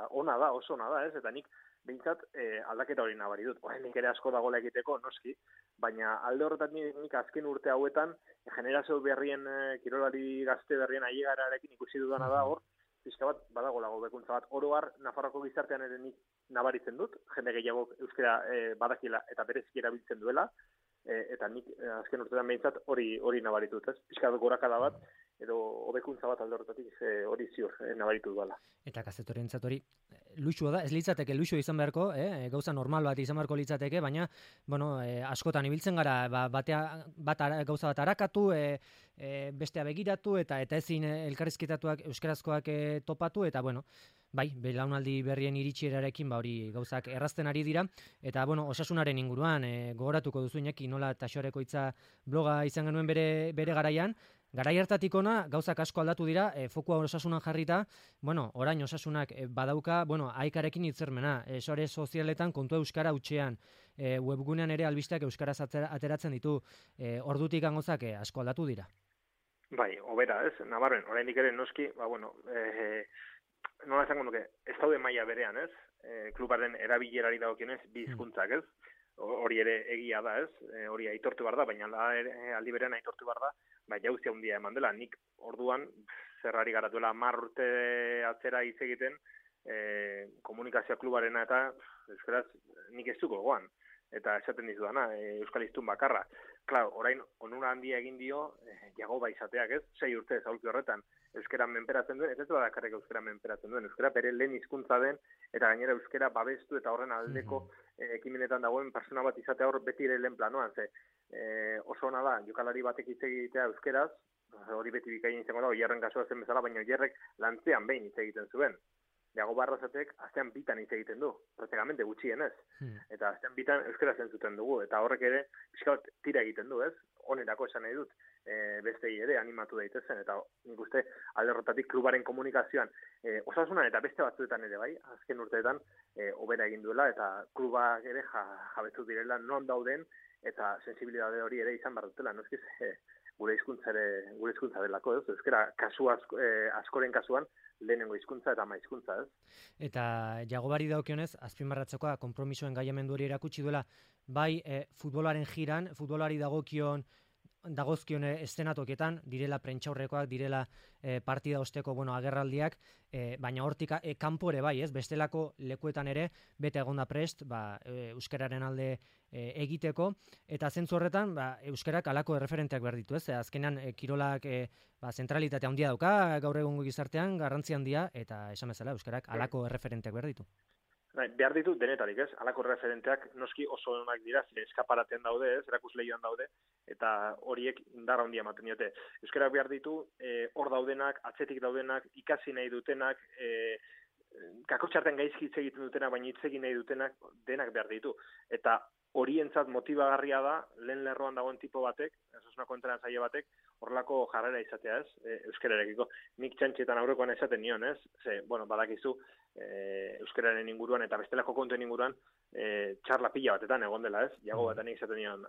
ona da, oso ona da, ez? Eta nik behintzat aldaketa hori nabari dut. Nik ere asko dagoela egiteko, noski, baina alde horretan nik azken urte hauetan, generazio berrien, kirolari gazte berrien ailegararekin ikusi dudana da hor, pixka bat badagoela hobekuntza bat. Oro har, Nafarroako gizartean ere nik nabaritzen dut, jende gehiago euskara badakila eta bereziki erabiltzen duela, eta nik azken urtetan behintzat hori nabaritut, ez? Pixka gorakada bat, edo hobekuntza bat alde horretatik hori ziur nabaritu duela. Eta kazetorentzat hori luxua da, ez litzateke luxua izan beharko, gauza normal bat izan beharko litzateke, baina, askotan ibiltzen gara, gauza bat arakatu, bestea begiratu, eta ezin elkarrizketatuak euskarazkoak topatu, eta, bai, belaunaldi berrien iritsierarekin hori gauzak errazten ari dira, eta, osasunaren inguruan, gogoratuko duzu Iñaki, nola Taxoreko hitza bloga izan genuen bere garaian, garai hartatik ona gauzak asko aldatu dira, fokua osasunan jarrita, orain osasunak badauka, aikarekin hitzermena, sare sozialetan kontu euskara hutsean, webgunean ere albisteak euskaraz ateratzen ditu, ordutik gauzak asko aldatu dira. Bai, hobera, ez? Nabarren, oraindik ere noski, nola esango nuke, ez daude maila berean, ez? Klubaren erabilerari dagokionez bi hizkuntzak, ez? Hori ere egia da, ez? Hori aitortu behar da, baina aldi berean aitortu behar da, jauzia handia eman dela. Nik orduan, zerrari garatuela 10 urte atzera hitz egiten, komunikazio klubarena eta euskaraz nik ez duko goan. Eta esaten dizudana, euskal hiztun bakarra. Klar, orain onura handia egin dio, jagoba izateak, ez? 6 urte aulki horretan euskara menperatzen duen, ez badakarrik euskara menperatzen duen, euskara bere lehen hizkuntza den, eta gainera euskara babestu eta horren aldeko ekimenetan dagoen persona bat izatea hor beti ere lehen planoan, oso ona da, jokalari batek hitz egitea euskeraz, hori beti bikain izango da, Oierren kasua zen bezala, baina Oierrek lantzean behin hitz egiten zuen. Jagoba Arrazatek astean bitan hitz egiten du, praktikamente gutxienez. Eta astean bitan euskara zentzuten dugu, eta horrek ere pixka bat tira egiten du, ez? Onerako esan nahi dut. bestei ere animatu daitezen, eta nik uste alde horretatik klubaren komunikazioan Osasunan eta beste batzuetan ere bai, azken urteetan hobera egin duela, eta klubak ere jabetu direla non dauden, eta sensibilidade hori ere izan behar dutela, no eskiz, gure hizkuntza delako, ez? Euskara askoren kasuan lehenengo hizkuntza eta ama hizkuntza, ez? Eta Jagobari dagokionez, azpimarratzekoa konpromisoen gaiamendu hori erakutsi duela, bai futbolaren jiran, futbolari dagozkion eszenatokietan, direla prentxaurrekoak, direla partida osteko agerraldiak, baina hortik kanpore bai, ez? Bestelako lekuetan ere, bete egonda prest, euskararen alde egiteko, eta zentzu horretan, euskarak alako erreferenteak behar ditu, ez? Azkenean, kirolak zentralitate handia dauka, gaur egungo gizartean, garrantzi handia, eta esan bezala, euskarak alako erreferenteak behar ditu. Behar ditu denetarik, ez? Alako referenteak noski oso onak dira, eskaparaten daude, ez? Erakusleioan daude, eta horiek indar handia ematen diote. Euskarak behar ditu, hor daudenak, atzetik daudenak, ikasi nahi dutenak, kakotxarten gaizki hitz egiten dutenak, baina hitz egin nahi dutenak, denak behar ditu. Eta horientzat motibagarria da, lehen lerroan dagoen tipo batek, Osasunako entrenatzaile batek, horrelako jarrera izatea, ez? Euskararekiko. Nik txantxetan aurrekoan esaten nion, ez? Badakizu, euskararen inguruan eta bestelako kontuen inguruan txarla pila batetan egon dela, ez? Jago batean izaten nion.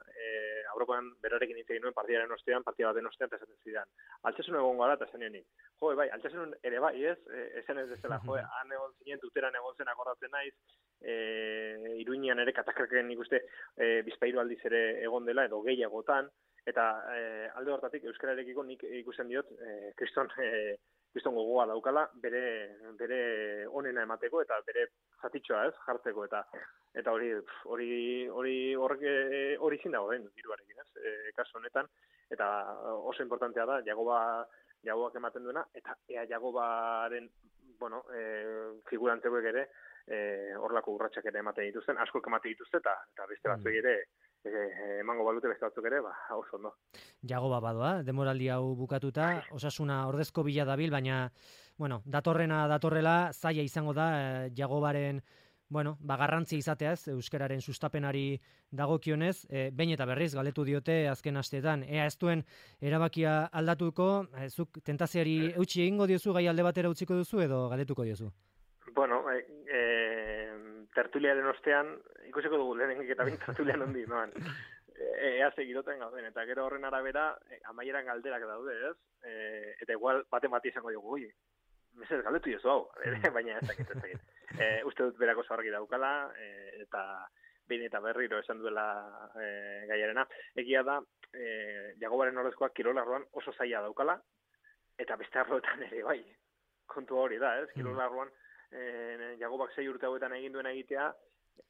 Aurrekoan berarekin hitz egin nuen partida baten ostean, eta esaten zidan. Altsasun egon gara, eta esan nionik. Bai, altsasun ere bai, ez? Esan ez dezela, han egon zinen, tuteran egon zen akordatzen naiz, Iruñean ere katakraken nik uste bizpairu aldiz ere egon dela, edo gehiagotan, eta alde hortatik euskararekiko nik ikusten diot kriston gogoa daukala bere onena emateko eta bere zatitxoa, ez, jartzeko, eta hori zin dago den diruarekin, ez, kasu honetan, eta oso importantea da Jagobak ematen duena, eta Jagobaren figurantzeuek ere horlako urratsak ere ematen dituzten, asko ematen dituzte, eta beste batzuek ere emango balute beste batzuk ere, oso ondo. Jagoba badoa, demoraldi hau bukatuta, Osasuna ordezko bila dabil, baina, datorrela, zaila izango da, Jagobaren, garrantzia izateaz, euskararen sustapenari dagokionez, behin eta berriz, galdetu diote azken asteetan, ea ez duen erabakia aldatuko, zuk tentaziari eutxi egingo diozu, gai alde batera utziko duzu, edo galdetuko diozu? Tertuliaren ostean, ikusiko dugu lehenenik eta bin tertulian hondi, noan. Ea segiroten gauden, eta gero horren arabera, amaieran galderak daude, ez? Eta igual baten bati izango dugu, mesez galdetu jozu hau, baina ez dakit. Uste dut berako zaharki daukala, eta behin eta berriro esan duela gaiarena. Egia da, Jagobaren ordezkoak kirolarroan oso zaila daukala, eta beste arloetan ere bai. Kontu hori da, ez? Kirolarroan Jagobak 6 urte hauetan egin duena egitea,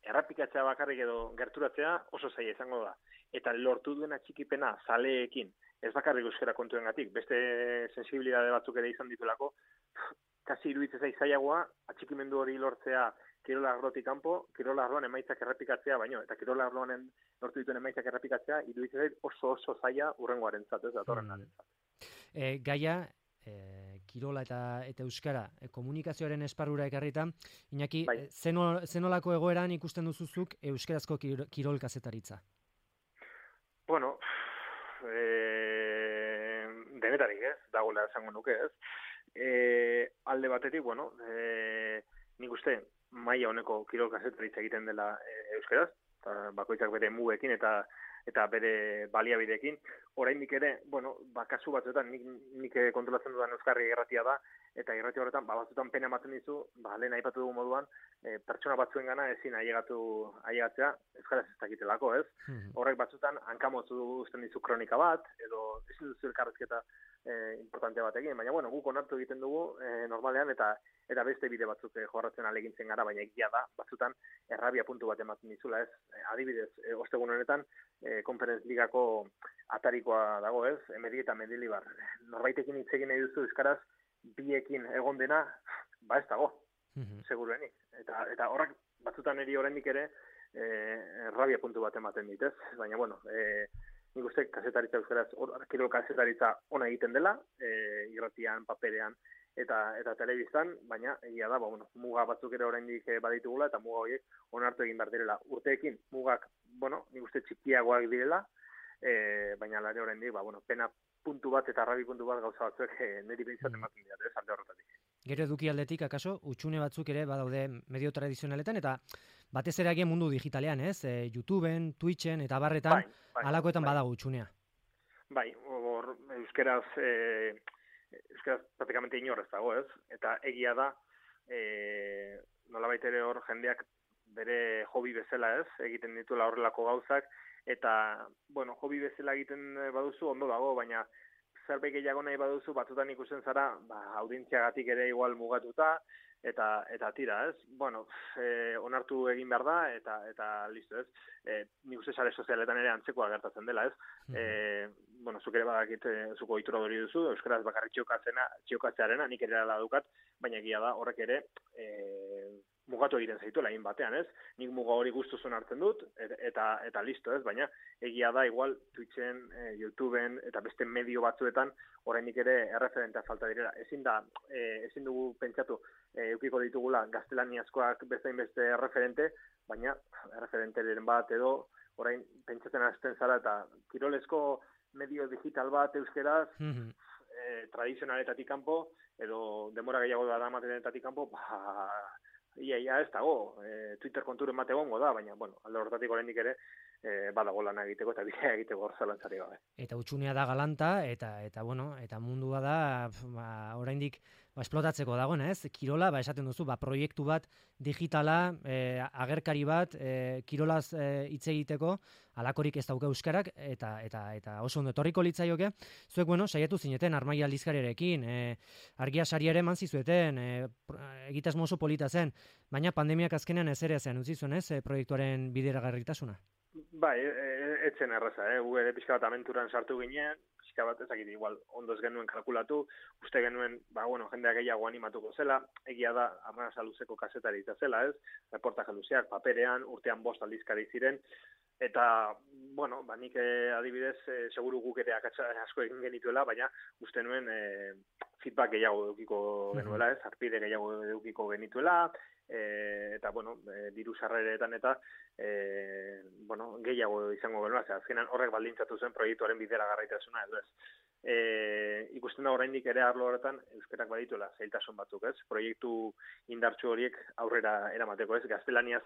errapikatzea bakarrik edo gerturatzea oso zaila izango da. Eta lortu duen atxikipena zaleekin, ez bakarrik euskara kontuengatik, beste sensibilidade batzuk ere izan ditulako, kasi iruditzen zailagoa atxikimendu hori lortzea kirolarrotik kanpo, kirolarroan emaitzak errepikatzea baino, eta kirolarroan lortu dituen emaitzak errepikatzea iruditzen zait oso zaila urrengoarentzat, ez datorrenarentzat. Gaia, kirola eta euskara komunikazioaren esparrura ekarrita, Iñaki, zenolako egoeran ikusten duzuzuk euskarazko kirol kazetaritza? Denetarik, ez? Dagoela esango nuke, ez? Alde batetik, nik uste maila honeko kirol kazetaritza egiten dela euskaraz, bakoitzak bere mugekin eta bere baliabideekin. Oraindik ere, kasu batzuetan nik kontrolatzen dudan euskarri irratia da, eta irrati horretan, batzuetan pena ematen dizu, lehen aipatu dugu moduan, pertsona batzuengana ezin ailegatzea euskaraz ez dakitelako, ez? Horrek batzuetan hankamotzu uzten dizu kronika bat, edo ezin duzu elkarrezketa importantea bat egin, baina guk onartu egiten dugu normalean, eta beste bide batzuk jorratzen alegintzen gara, baina egia da, batzutan errabia puntu bat ematen dizula, ez? Adibidez, ostegun honetan, Konferenz Ligako atarikoa dago, ez? Emedi eta Mendilibar. Norbaitekin hitz egin nahi duzu euskaraz, biekin egon dena, ez dago, seguruenik. Eta horrak batzutan eri oraindik ere errabia puntu bat ematen dit, ez? Baina, nik uste kazetaritza euskaraz, kirol kazetaritza ona egiten dela, irratian, paperean, eta telebistan, baina egia da, muga batzuk ere oraindik baditugula, eta muga horiek onartu egin behar direla. Urteekin mugak, nik uste txikiagoak direla, baina lare oraindik, puntu bat eta arrabi puntu bat gauza batzuek niri behintzat ematen dira, alde horretatik. Gero eduki aldetik, akaso, utxune batzuk ere badaude medio tradizionaletan, eta batez ere agian mundu digitalean, ez? YouTubeen, Twitchen eta barretan, alakoetan badago utxunea. Bai, hor, euskeraz praktikamente inorrez dago, ez? Eta egia da, nolabait ere hor jendeak bere hobi bezala, ez? Egiten dituela horrelako gauzak, eta, bueno, hobi bezala egiten baduzu ondo dago, baina zerbait gehiago nahi baduzu, batzutan ikusten zara, audientziagatik ere igual mugatuta, eta tira, ez? Bueno, onartu egin behar da, eta listo, ez? Nik uste sare sozialetan ere antzekoa gertatzen dela, ez? Bueno, zuk ere badakit, zuko ohitura hori duzu, euskaraz bakarrik txokatzearena, nik ere ala dukat, baina egia da horrek ere mugatu egiten zaituela egin batean, ez? Nik muga hori gustuzun hartzen dut, eta listo, ez? Baina egia da, igual, Twitchen, YouTubeen, eta beste medio batzuetan, orainik ere erreferentea falta direla. Ezin dugu pentsatu, eukiko ditugula gaztelaniazkoak beste referente, baina referenteren bat edo, orain pentsatzen hasten zara, eta kirolezko medio digital bat euskeraz, tradizionaletatik kanpo, edo demora gehiago da damatenetatik kanpo, ia ez dago, Twitter konturen bat egongo da, baina, bueno, alde horretatik oraindik ere badago lana egiteko eta bidea egiteko zalantzari gabe. Eta utxunea da galanta, eta bueno, eta mundua da, oraindik esplotatzeko dagoen, ez? Kirola, esaten duzu, proiektu bat digitala, agerkari bat, kirolaz hitz egiteko, alakorik ez dauka euskarak, eta oso ondo etorriko litzaioke. Zuek, bueno, saiatu zineten, Armaia aldizkariarekin, argia sari ere eman zizueten, egitasmo oso polita zen, baina pandemiak azkenean ez ere zen, utzi zuen, ez, proiektuaren bideragarritasuna? Bai, etzen erraza, gu ere pixka bat aventuran sartu ginen, pixka bat ezakit igual ondo ez genuen kalkulatu, uste genuen, bueno, jendea gehiago animatuko zela, egia da, Arnasa luzeko kazetari zela, ez, reportaje luzeak, paperean, urtean 5 aldizkari ziren, eta, bueno, nik adibidez, seguru guk ere asko egin genituela, baina uste nuen feedback gehiago edukiko genuela, ez, arpide gehiago edukiko genituela, eta, bueno, diru sarreretan eta, bueno, gehiago izango genuela, azkenan horrek baldintzatu zen proiektuaren bideragarritasuna, edo ez. Ikusten da oraindik ere arlo horretan euskerak badituela zailtasun batzuk, ez? Proiektu indartsu horiek aurrera eramateko, ez? Gaztelaniaz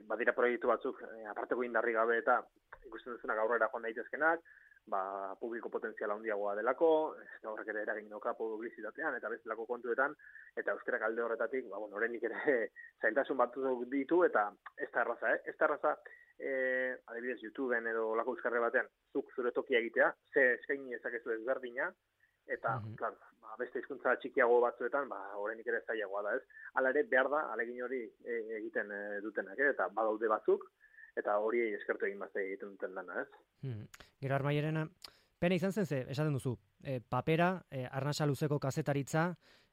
badira proiektu batzuk aparteko indarri gabe eta ikusten duzunak aurrera joan daitezkenak, publiko potentziala handiagoa delako, eta horrek ere eragin dauka publizitatean eta bestelako kontuetan, eta euskerak alde horretatik, oraindik ere zailtasun batzuk ditu, eta ez da erraza, ez da erraza, adibidez YouTubeen edo olako euskarri batean, zuk zure tokia egitea, ze eskaini ezakezu ezberdina, eta, claro, beste hizkuntza txikiago batzuetan, oraindik ere zailagoa da, ez? Hala ere, behar da, alegin hori egiten dutenak, eta badaude batzuk, eta hori eskertu egin bazte egiten duten dana, ez? Gero Armaiarena, pena izan zen ze, esaten duzu, papera, Arnasa luzeko kazetaritza,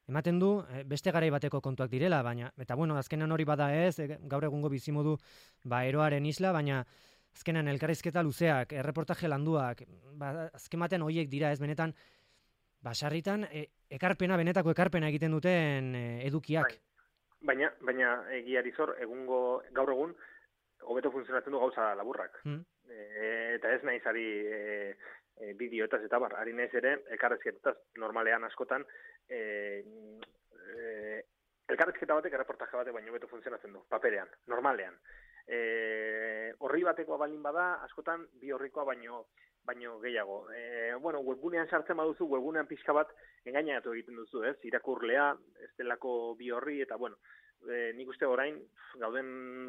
ematen du, beste garai bateko kontuak direla, baina, eta bueno, azkenan hori bada ez, gaur egungo bizimodu, eroaren isla, baina azkenan elkarrizketa luzeak, erreportaje landuak, azken batean horiek dira ez, benetan, sarritan, benetako ekarpena egiten duten edukiak. Baina egiari zor, gaur egun, hobeto funtzionatzen du gauza laburrak. Eta ez nahiz ari bideoetaz eta ari nahiz ere, elkarrezketetaz normalean askotan, elkarrezketa batek, erreportaje batek baino hobeto funtzionatzen du, paperean, normalean. Horri batekoa balin bada, askotan bi horrikoa baino gehiago. Webgunean sartzen baduzu, webgunean pixka bat engainatu egiten duzu, ez? Irakurlea, ez delako bi horri, eta nik uste orain, gauden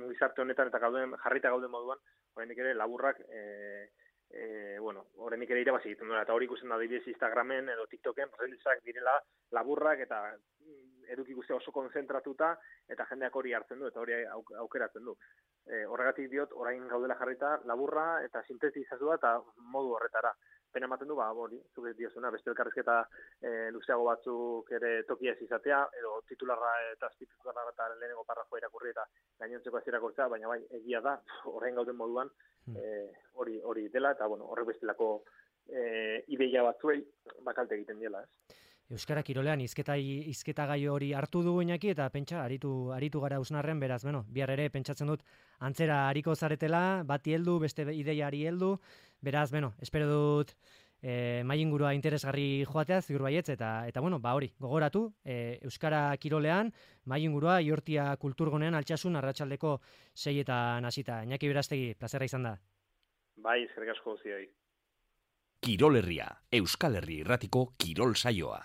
gizarte honetan eta jarrita gauden moduan, oraindik ere laburrak, oraindik ere irabazi egiten duela, eta hori ikusten da adibidez Instagramen edo TikToken, reelsak direla laburrak eta eduki guztia oso konzentratuta, eta jendeak hori hartzen du, eta hori aukeratzen du. Horregatik diot, orain gaudela jarrita laburra eta sintetizatua eta modu horretara. Pena ematen du, hori, zuk ez diozuna, beste elkarrizketa luzeago batzuk ere tokia ez izatea, edo titularra eta lehenengo parrafoa irakurri eta gainontzeko ez irakurtzea, baina bai, egia da, orain gauden moduan, hori dela, eta horrek bestelako ideia batzuei bakalte egiten diela, ez? Euskara kirolean hizketa gai hori hartu dugu Iñaki, eta pentsa, aritu gara Usnarren, beraz, bihar ere pentsatzen dut antzera ariko zaretela, bati heldu, beste ideiari heldu, beraz, espero dut mailingurua interesgarri joatea, ziur baietz, eta bueno, hori, gogoratu, Euskara Kirolean, mailingurua Iortia Kulturgunean Altsasun arratsaldeko 6etan hasita. Iñaki Berastegi, plazerra izan da. Bai, eskerrik asko guztioi. Kirol Herria, Euskal Herri Irratiko kirol saioa.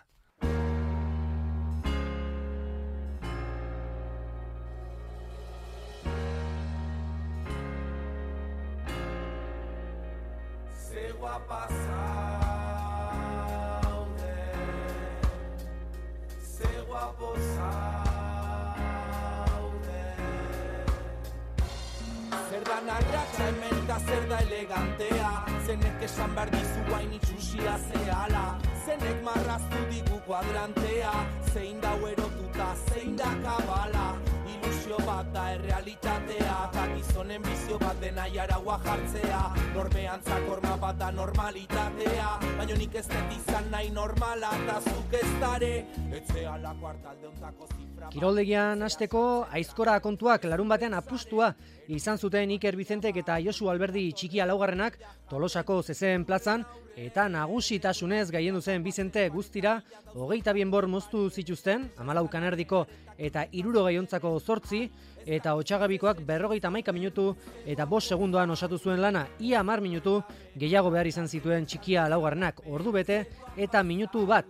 Zer da elegantea, zenek esan behar dizu hain itxusia zehala, zenek marraztu digu kuadrantea, zein da erotuta, zein da kabala, ilusio bat da errealitatea, eta gizonen bizio bat dena jaraua jartzea, norbeantzak horma bat da normalitatea, baina nik ez dut izan nahi normala, eta zuk ez dare, etzeala kuartalde ontako zifra. Kiroldegian hasteko aizkora kontuak larun batean apustua izan zuten Iker Bizentek eta Josu Alberdi txikia laugarrenak Tolosako zezen plazan, eta nagusitasunez gailendu zen Bizente guztira 22 enbor moztu zituzten, 14 kanerdiko eta 60 8, eta Otsagabikoak 51 minutu eta 5 segundoan osatu zuen lana, ia 10 minutu gehiago behar izan zituen txikia laugarrenak ordu bete eta minutu bat.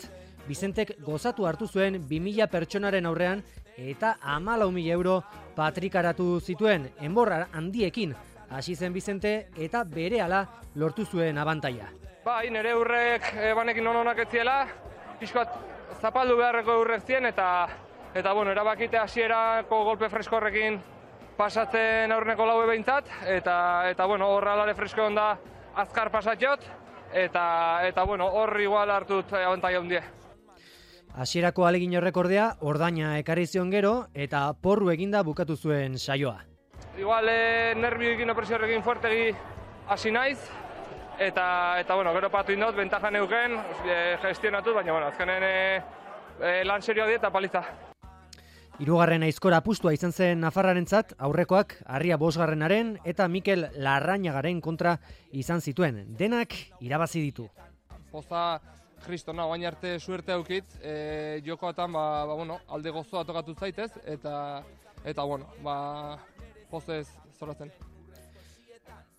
Bizentek gozatu hartu zuen 2000 pertsonaren aurrean eta 14.000 euro patrikaratu zituen enborra handiekin. Hasi zen Bizente eta berehala lortu zuen abantaila. Bai, nire urrek banekin onak ez ziela, pixkat zapaldu beharreko urrek zien eta bueno, erabakite hasierako golpe freskorrekin pasatzen aurreneko laue behintzat, eta bueno, horra alare fresko onda azkar pasatxot, eta bueno, hor igual hartut abantaila hundie. Hasierako alegin horrekordea, ordaina ekarri zion gero, eta porru eginda bukatu zuen saioa. Igual nervioekin opresiorekin fuertegi hasi naiz, eta bueno, gero patu indot, bentaja neuken, gestionatut, baina bueno, azkenen lan serioa dieta paliza. Hirugarren aizkora apustua izan zen Nafarrarentzat, aurrekoak Harria Bosgarrenaren eta Mikel Larrañagaren kontra izan zituen. Denak irabazi ditu. Poza kristona, bain arte suerte aukit, jokoatan bueno, alde gozoa tokatu zaitez, eta bueno, pozez zoratzen.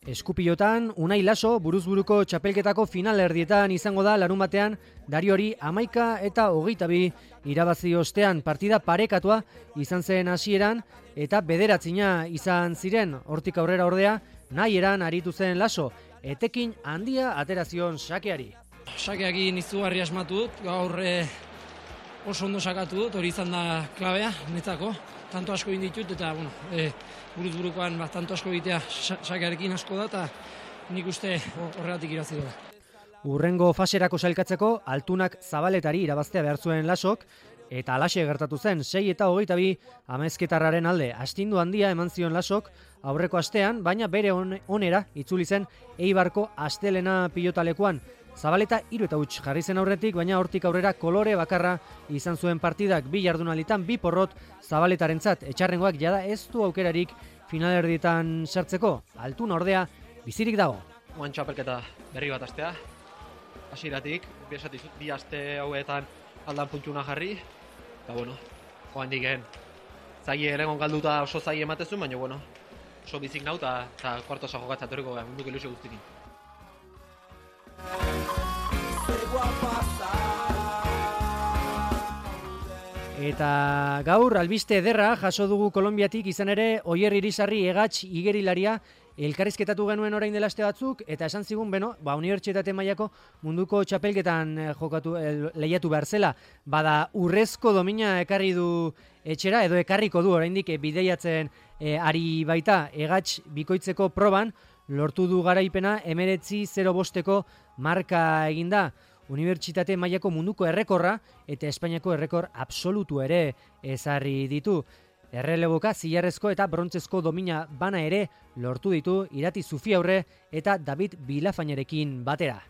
Eskupilotan, Unai Laso buruzburuko txapelketako final erdietan izango da larun batean, Dariori 11 eta 22 irabazi ostean, partida parekatua izan zen hasieran eta bederatzina izan ziren. Hortik aurrera ordea, nahieran aritu zen Laso, etekin handia aterazion sakeari. Sakeakin izugarri asmatu dut, gaur oso ondo sakatu dut, hori izan da klabea, netzako. Tanto asko egin ditut, eta bueno, buruz-burukoan tanto asko egitea sakearekin asko da, eta nik uste horregatik irabazi dela. Urrengo faserako sailkatzeko, Altunak Zabaletari irabaztea behar zuen Lasok, eta alaxe gertatu zen 6 eta 22 Amezketarraren alde. Astindu handia eman zion Lasok aurreko astean, baina bere onera itzuli zen Eibarko astelena pilotalekuan. Zabaleta 3 eta huts jarri zen aurretik, baina hortik aurrera kolore bakarra izan zuen partidak, 2 jardunalditan 2 porrot Zabaletarentzat. Etxarrengoak jada ez du aukerarik finalerdietan sartzeko. Altuna ordea bizirik dago. Oan txapelketa berri bat astea. Hasieratik, bi aste hauetan aldan puntuna jarri. Eta bueno, oan diken zaie erengon galduta oso zaie ematezun, baina bueno, oso bizik nau eta kuartosa jokatzatoriko munduko ilusio guztikin. Eta gaur albiste ederra jaso dugu Kolonbiatik, izan ere Oier Irisarri Egatx igerilaria elkarrizketatu genuen orain dela aste batzuk, eta esan zigun, unibertsitate mailako munduko txapelketan lehiatu behar zela, bada urrezko domina ekarri du etxera, edo ekarriko du oraindik bideiatzen ari baita. Egatx bikoitzeko proban lortu du garaipena 19.05 marka eginda. Unibertsitate mailako munduko errekorra eta Espainiako errekor absolutu ere ezarri ditu. Erreleboka zilarrezko eta brontzezko domina bana ere lortu ditu Irati Zufiaurre eta David Bilafainarekin batera.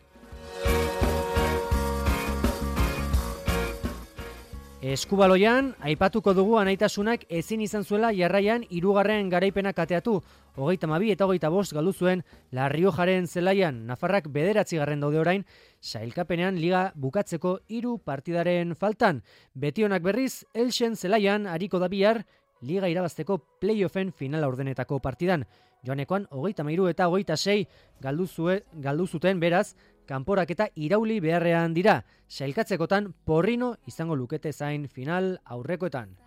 Eskubaloian, aipatuko dugu anaitasunak ezin izan zuela jarraian 3. garaipena kateatu. 32 eta 25 galdu zuen La Riojaren zelaian. Nafarrak 9. daude orain, sailkapenean liga bukatzeko 3 partidaren faltan. Betionak berriz, Elxen zelaian ariko da bihar, liga irabazteko playoffen finala ordenetako partidan. Joanekoan 33 eta 26 galdu zuten beraz, kanporak eta irauli beharrean dira. Sailkatzekotan Porrino izango lukete zain final aurrekoetan.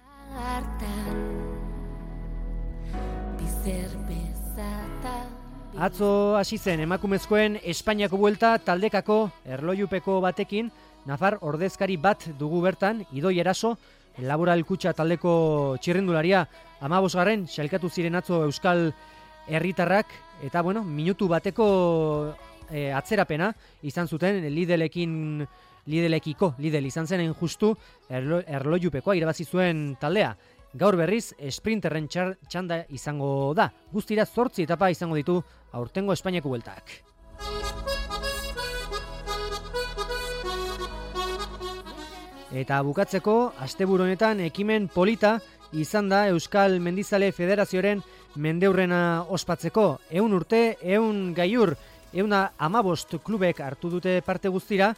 Atzo hasi zen emakumezkoen Espainiako buelta taldekako erlojupeko batekin, Nafar ordezkari bat dugu bertan, Idoi Eraso, Laboral Kutxa taldeko txirrindularia 15. sailkatu ziren atzo Euskal herritarrak, eta minutu bateko atzerapena izan zuten Lidl izan zenen justu erlojupekoa irabazi zuen taldea. Gaur berriz sprinterren txanda izango da. Guztira 8 etapa izango ditu aurtengo Espainiako bueltak. Eta bukatzeko, asteburu honetan ekimen polita izan da Euskal Mendizale Federazioaren mendeurrena ospatzeko. 100 urte, 100 gaiur, 115 klubek hartu dute parte guztira,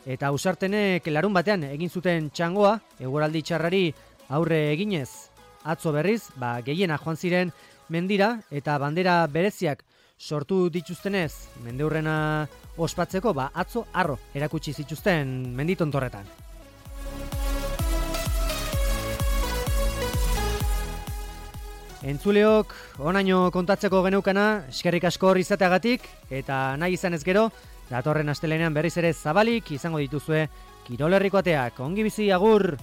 eta Ausartenek larun batean egin zuten txangoa, eguraldi txarrari aurre eginez. Atzo berriz, gehiena joan ziren mendira, eta bandera bereziak sortu dituztenez mendeurrena ospatzeko, atzo harro erakutsi zituzten menditontorretan. Entzuleok, onaino kontatzeko geneukana, eskerrik asko hor izateagatik, eta nahi izan ez gero, datorren astelenean berriz ere zabalik izango dituzue Kirol Herriko ateak. Ongi bizi, agur!